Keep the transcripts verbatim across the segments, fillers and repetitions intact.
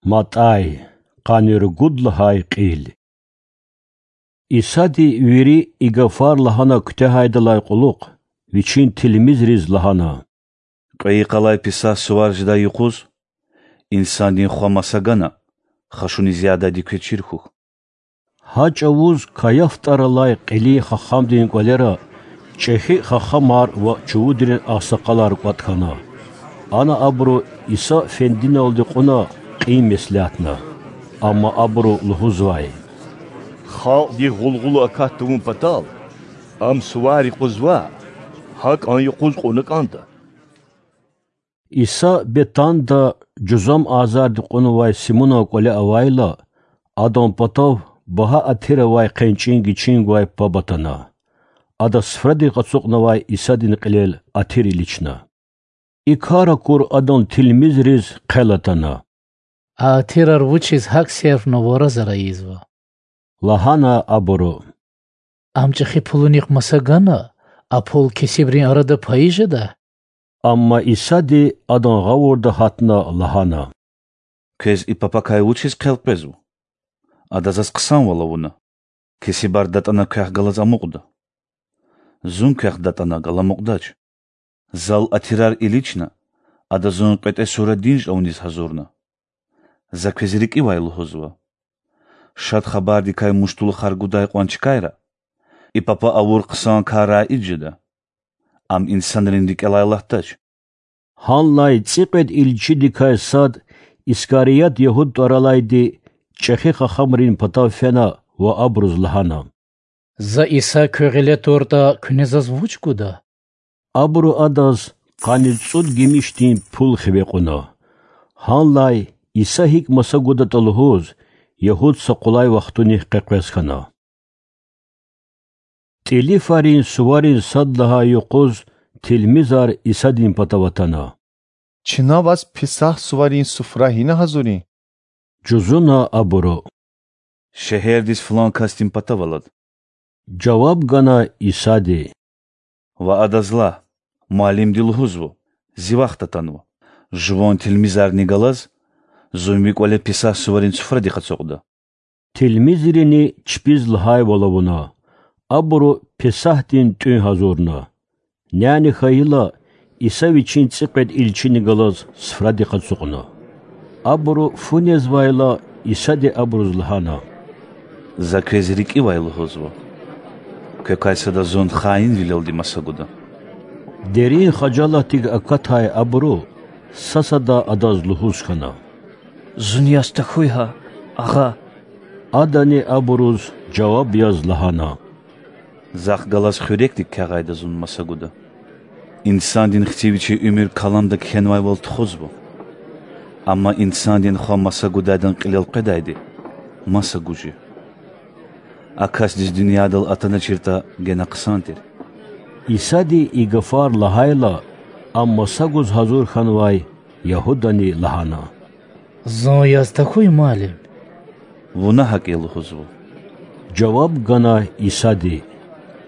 МатӀай, къанни ругуд лагьай кьил. Исади вири и гафар лагьана куьтягьайдалай кьулухъ Вичин тилмизриз лагьана: Кьве йикъалай Песагь сувар жедай юкъуз Инсандин Хва маса гана, хашуниз ядайди квез чир хьухь. Гьа чӀавуз Каяф тӀвар алай кьилин хахамдин кӀвалера чӀехи хахамар ва чувудрин агъсакъалар кӀватӀ хьана. Ана абуру Иса фендиналди кьуна кьин меслятна. Амма абуру лугьузвай: Халкьдихъ гъулгъула акат тавун патал, Ам сувар юкъузва, гьакӀан юкъуз кьуна кӀанда. Иса Бетанда жузам азарди кьунвай Симунан кӀвале авайла, адан патав багьа атир авай хъенчӀин гичин гвай паб атана. Ада суфрадихъ ацукьнавай Исадин кьилел атир илична. И кар акур Адан тилмизриз хъел атана. А атирар вучиз гьакӀ серфна вараз-ара ийизва? лагьана абуру. Ам чӀехи пулунихъ маса гана, а пул кесибрин арада пайи жеда? Амма Исади адан гъавурда гьатна лагьана: Квез и папакай вучиз хъел къвезва? Ада Заз хъсанвал авуна. Кесибар датӀана квехъ галаз амукьда. Зун квехъ датӀана галамукьдач. Зал атирар илична, ада Зун кьветӀе сура динж авуниз гьазурна. За квез рикӀивай лугьузва: Шад Хабардикай муштулухар гудай кьван чкайра и папа авур хъсан карар ид жеда. Ам инсанрин рикӀелай алатдач. Гьанлай цӀикьвед илчидикай сад, Искарият Ягьуд тӀвар алайди, чӀехи хахамрин патав фена ва абуруз лагьана: За Иса куь гъиле туртӀа, куьне Заз вуч гуда? Абуру адаз къанни цӀуд гимишдин пул хиве кьуна. Гьанлай Иса гьикӀ маса гудатӀа лугьуз, Ягьуд са къулай вахтуник къекъвез хьана. ТӀилифарин суварин сад лагьай юкъуз тилмизар Исадин патав атана. Чна Ваз Песагь суварин суфра гьина гьазурин? жузуна абуру. Шегьердиз флан касдин патав алад,– жаваб гана Исади. Ва адаз лагь: Муаллимди лугьузва: Зи вахт атанва. Жуван тилмизарни галаз Зун Ви кӀвале Песагь суварин суфрадихъ ацукьда. Тилмизрини чпиз лагьайвал авуна. Абуру Песагьдин тӀуьн гьазурна. Няни хьайила, Иса Вичин цӀикьвед илчини галаз суфрадихъ ацукьна. Абуру фу незвайла, Исади абуруз лагьана: За квез рикӀивай лугьузва: квекай сада Зун хаинвилелди маса гуда. Дерин хажалатдик акатай абуру са-сада Адаз лугьуз хьана: Зун яз тахьуй гьа, Агъа! Адани абуруз жаваб яз лагьана: Захъ галаз хуьрекдик кягъайда Зун маса гуда. Инсандин Хци Вичи уьмуьр Каламда кхьенвайвал тухузва. Амма Инсандин Хва маса гудайдан кьилел къведайди маса гуж я. А касдиз дуьньядал атаначиртӀа гена хъсан тир. Исади и гафар лагьайла, Ам маса гуз гьазур хьанвай Ягьудани лагьана: Зун яз тахьуй, Муаллим? Вуна гьакӀ я лугьузва,– жаваб гана Исади.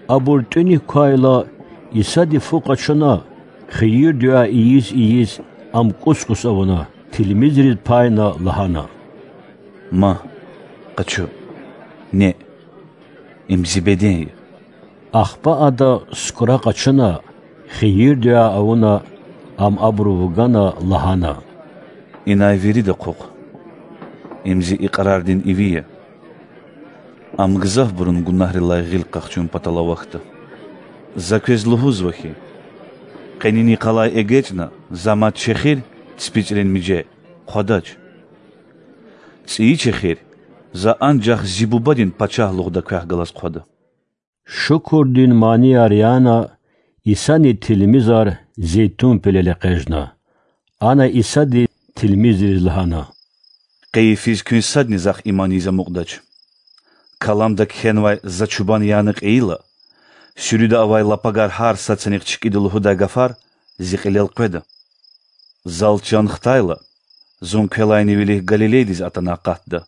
Абур тӀуьник квайла, Исади фу къачуна, хийир-дуьа ийиз-ийиз, ам кӀус-кӀус авуна, тилмизриз пайна лагьана: Ма, къачу, неъ, им Зи беден я. Ахпа ада, сукӀра къачуна, хийир-дуьа авуна, ам абуру вугана, лагьана: Инай вирида хъухъ, им Зи икьрардин иви я. Ам гзафбурун гунагьрилай гъил къахчун патал авахьда. За квез лугьузва хьи, къенин йикъалай эгечӀна За мад чехир, ципицӀрин миже, хъвадач. ЦӀийи чехир За анжах Зи Бубадин пачагьлугъда квехъ галаз хъвада. Шукурдин манияр яна, Исани тилмизар Зейтун пелел экъечӀна. Ана Исади тилмизриз лагьана: Къейи физ куьн садни Захъ иман ийиз амукьдач. Каламда кхьенвай За чубан яна кьейила, суьруьда авай лапагар гьар сад санихъ чкӀида лугьудай гафар Зи кьилел къведа. Зал чан хтайла, Зун квелайни вилик Галилейдиз атана акъатда.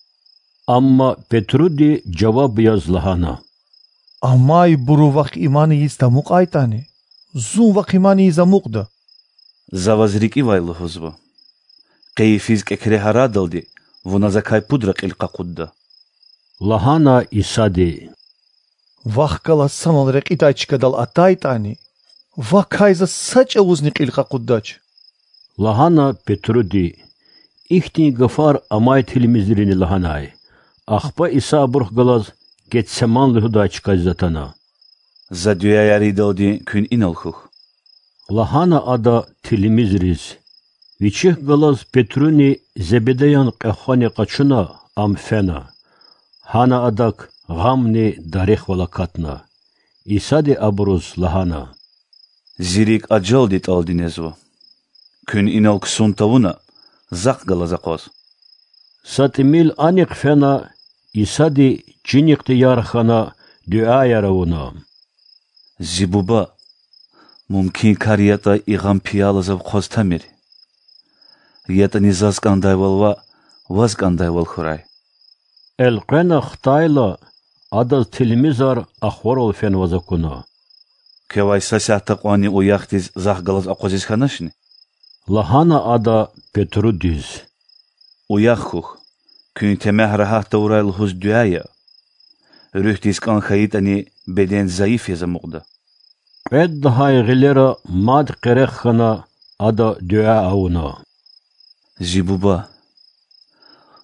Амма Петруди жаваб яз лагьана: Амайбуру Вахъ иман ийиз тамукьайтӀани, Зун Вахъ иман ийиз амукьда. За ваз рикӀивай лугьузва: къейи физ кӀекре гьарадалди Вуна закай пудра кьил къакъудда,– лагьана Исади. Вахъ галаз санал рекьидай чкадал атайтӀани, вакай заз са чӀавузни кьил къакъуддач,– лагьана Петруди. Ихьтин гафар амай тилмизрини лагьанай. Ахпа Иса абурухъ галаз Гетсеман лугьудай чкадиз атана. За дуьаяр ийидалди куьн инал хьухь,– лагьана Ада тилмизриз. Вичихъ галаз Петруни Зебедеян кьве хвани къачуна, Ам фена. Гьана Адак гъамни дарихвал акатна. Исади абуруз лагьана: Зи рикӀ ажалди тӀалди незва. Куьн инал ксун тавуна, Захъ галаз акъваз. Са тӀимил анихъ фена, Исади чинихъди ярх хьана, дуьаяр авуна: Зи Буба, мумкин кар ятӀа, и гъам пияла Зав хъваз тамир. ЯтӀани Заз кӀандайвал ваъ, Ваз кӀандайвал хьурай. Элкъвена хтайла, Адаз тилмизар ахварал фенваз акуна. Квевай са сятда кьванни уяхдиз Захъ галаз акъвазиз хьаначни? лагьана Ада Петрудиз. Уях хьухь, куьн темягь рагьат тавурай лугьуз дуьа ая. Руьгьдиз кӀан хьайитӀани, беден зайиф яз амукьда. Кьвед лагьай гъилера мад къерех хьана, Ада дуьа авуна: Зи Буба,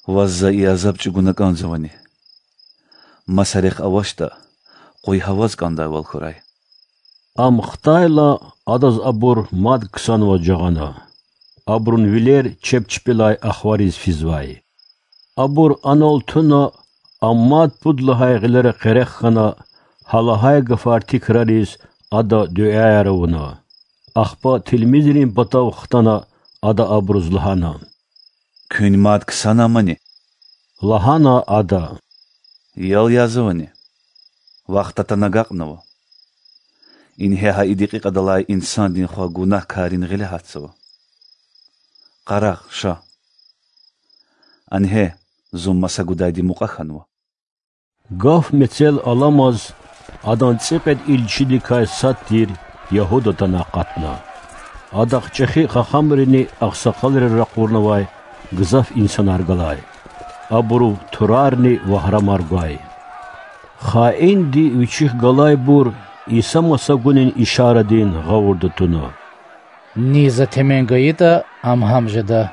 Ваз за и азаб чӀугуна кӀанзавани? Маса рехъ авачтӀа, къуй гьа Ваз кӀандайвал хьурай. Ам хтайла, Адаз абур мад ксанваз жагъана. Абурун вилер чеб чпелай ахвариз физвай. Абур анал туна, Ам мад пуд лагьай гъилера къерех хьана, гьа лагьай гафар тикрариз, Ада дуьаяр авуна. Ахпа тилмизрин патав хтана, Ада абуруз лагьана: Куьн мад ксанамани? лагьана Ада. Ял язавани? Вахт атана агакьнава. Ингье гьа и декьикьадалай Инсандин Хва гунагькаррин гъиле гьатзава. Къарагъ, ша, ангье, Зун маса гудайди мукьва хьанва. Гаф мецел аламаз, Адан цӀикьвед илчидикай сад тир Ягьуда атана акъатна. Адахъ чӀехи хахамрини агъсакъалри ракъурнавай гзаф инсанар галай. Абурув турарни вагьрамар гвай. Хаинди вичихъ галайбур Иса маса гунин ишарадин гъавурда туна: Ни За темен гайитӀа, Ам гьам жеда.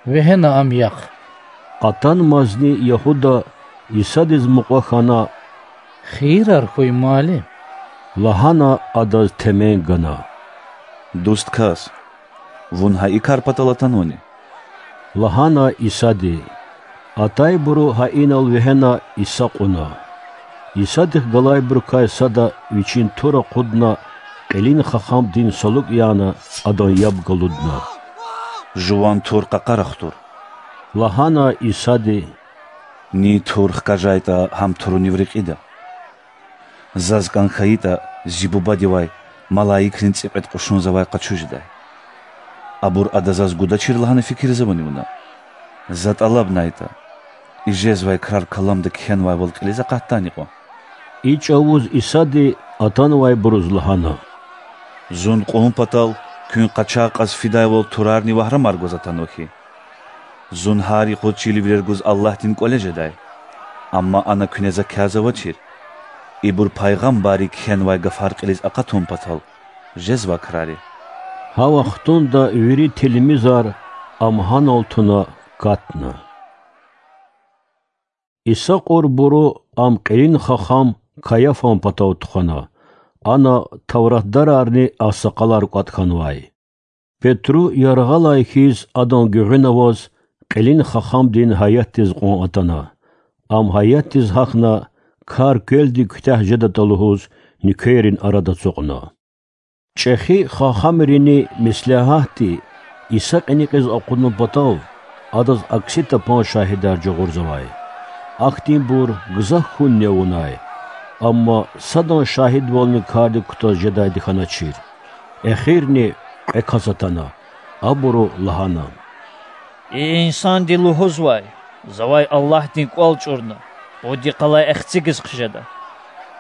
Вегьена Ам яхъ. Атанмазни Ягьуда, Исадиз мукьва хьана: Хийирар хьуй, Муаллим! лагьана, Адаз темен гана. Дуст кас, Вун гьа и кар патал атанвани? лагьана Исади. Атайбуру гьа инал вегьена Иса кьуна. Исадихъ галайбурукай сада вичин тур акъудна, кьилин хахамдин салукь яна, адан яб галудна. Жуван тур къакъара хтур,– лагьана Исади. Ни тур хкажайтӀа, гьам турунив рекьида. Заз кӀан хьайитӀа, Зи Бубадивай малаикрин цӀикьвед кьушун Завай къачуз жедай. Абур Ада Заз гудачир лагьана фикирзавани Вуна? За тӀалабнайтӀа, и жезвай крар каламда кхьенвайвал кьилиз акъатдани кьван? И чӀавуз Исади атанвайбуруз лагьана: Зун кьун патал куьн къачагъ кьаз фидайвал турарни вагьрамар гваз атанва хьи? Зун гьар юкъуз чирвилер гуз Аллагьдин кӀвале жедай. Амма ана куьне За кязавачир, ибур пайгъамбарри кхьенвай гафар кьилиз акъатун патал жезвай крари. Гьа вахтунда вири тилмизар Ам гьанал туна катна. Иса кьурбуру Ам кьилин хахам Каяфан патав тухвана, ана тавратдарарни агъсакъалар кӀватӀ хьанвай. Петру яргъалай хьиз адан гуьгъуьна аваз кьилин хахамдин гьаятдиз кьван атана. Ам гьаятдиз гьахьна, кар квелди куьтягь жедатӀа лугьуз нуькеррин арада ацукьна. ЧӀехи хахамрини меслягьатди Иса кьиникьиз акъудун патал Адаз акси тапан шагьидар жагъурзавай. Ахьтинбур гзаф хьунни авунай, амма садан шагьидвални кардик кутаз жедайди хьаначир. Эхирни кьве кас атана. Абуру лагьана: И инсанди лугьузвай: Завай Аллагьдин кӀвал чӀурна, пуд йикъалай Эхцигиз хъжеда.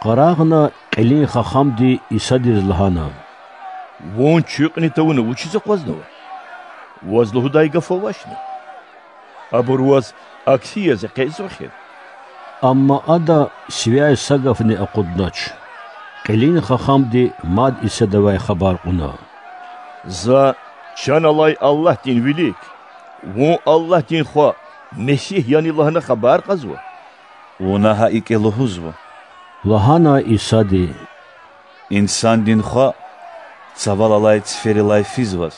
Къарагъна кьилин хахамди Исадиз лагьана: Вун чуькьни тавуна вучиз акъвазнава? Ваз лугьудай гаф авачни? Абур ваз акси яз экъечӀзава эхир. Амма ада сивяй са гафни акъуднач. Кьилин хахамди мад Исадивай хабар кьуна: За чан алай Аллагьдин вилик, Вун Аллагьдин Хва, Месигь яни лагьана хабар кьазва. Вуна гьа икӀ лугьузва,– лагьана Исади,– Инсандин Хва цавал алай циферилай физваз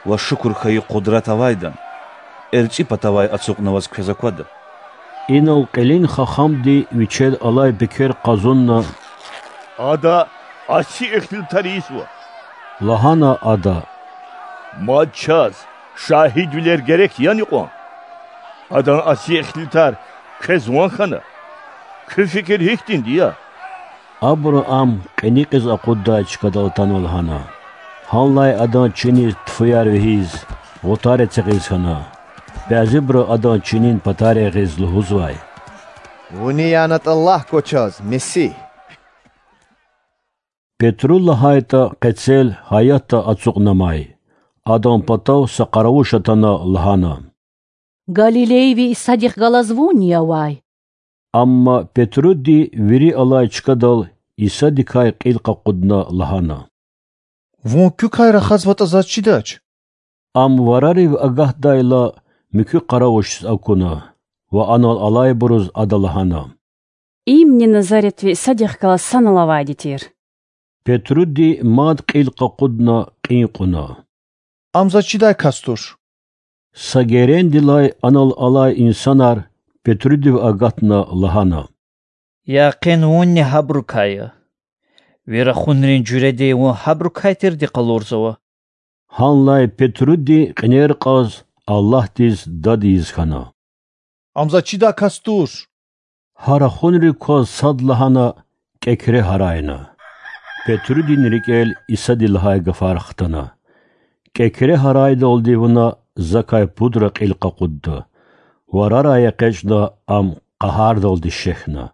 ва шукур хьайи къудрат авайдан эрчӀи патавай ацукьнаваз квез аквада. Инал кьилин хахамди вичел алай пекер къазунна: Ада аси ихтилатар ийизва,– лагьана ада,– мад чаз шагьидвилер герек яни кьван? Адан аси ихтилатар квез ван хьана. Куь фикир гьихьтинди я? Абуру ам кьиникьиз акъуддай чкадал атанва лагьана. Гьанлай адан чиниз тфуяр вегьиз, гъутар эцигиз хьана. Бязибуру адан чинин патар ягъиз лугьузвай: Вуни янатӀа лагь квачаз, Месигь. Петру лагьайтӀа, къецел гьаятда ацукьнамай. Адан патав са къаравуш атана лагьана: Галилейви Исадихъ галаз Вунни авай. Амма Петруди вири алай чкадал Исадикай кьил къакъудна лагьана: Вун куькай рахазватӀа заз чидач. Ам варарив агатдайла, муькуь къаравушиз акуна ва анал алайбуруз ада лагьана: Имни Назаретви Исадихъ галаз санал авайди тир. Петруди мад кьил къакъудна кьин кьуна: Ам заз чидай кас туш. Са герендилай анал алай инсанар Петрудив агатна лагьана: Якъин вунни гьабурукай я. Ви рахунрин жуьреди вун гьабурукай тирди къалурзава. Гьанлай Петруди кьинер кьаз Аллагьдиз дад ийиз хьана: Ам заз чидай кас туш. Гьа рахунрик кваз садлагьана кӀекре гьарайна. Петрудин рикӀел Исади лагьай гафар хтана. КӀекре гьарайдалди вуна закай пудра кьил къакъудда. Варарай экъечӀна, ам къагьардалди шехьна.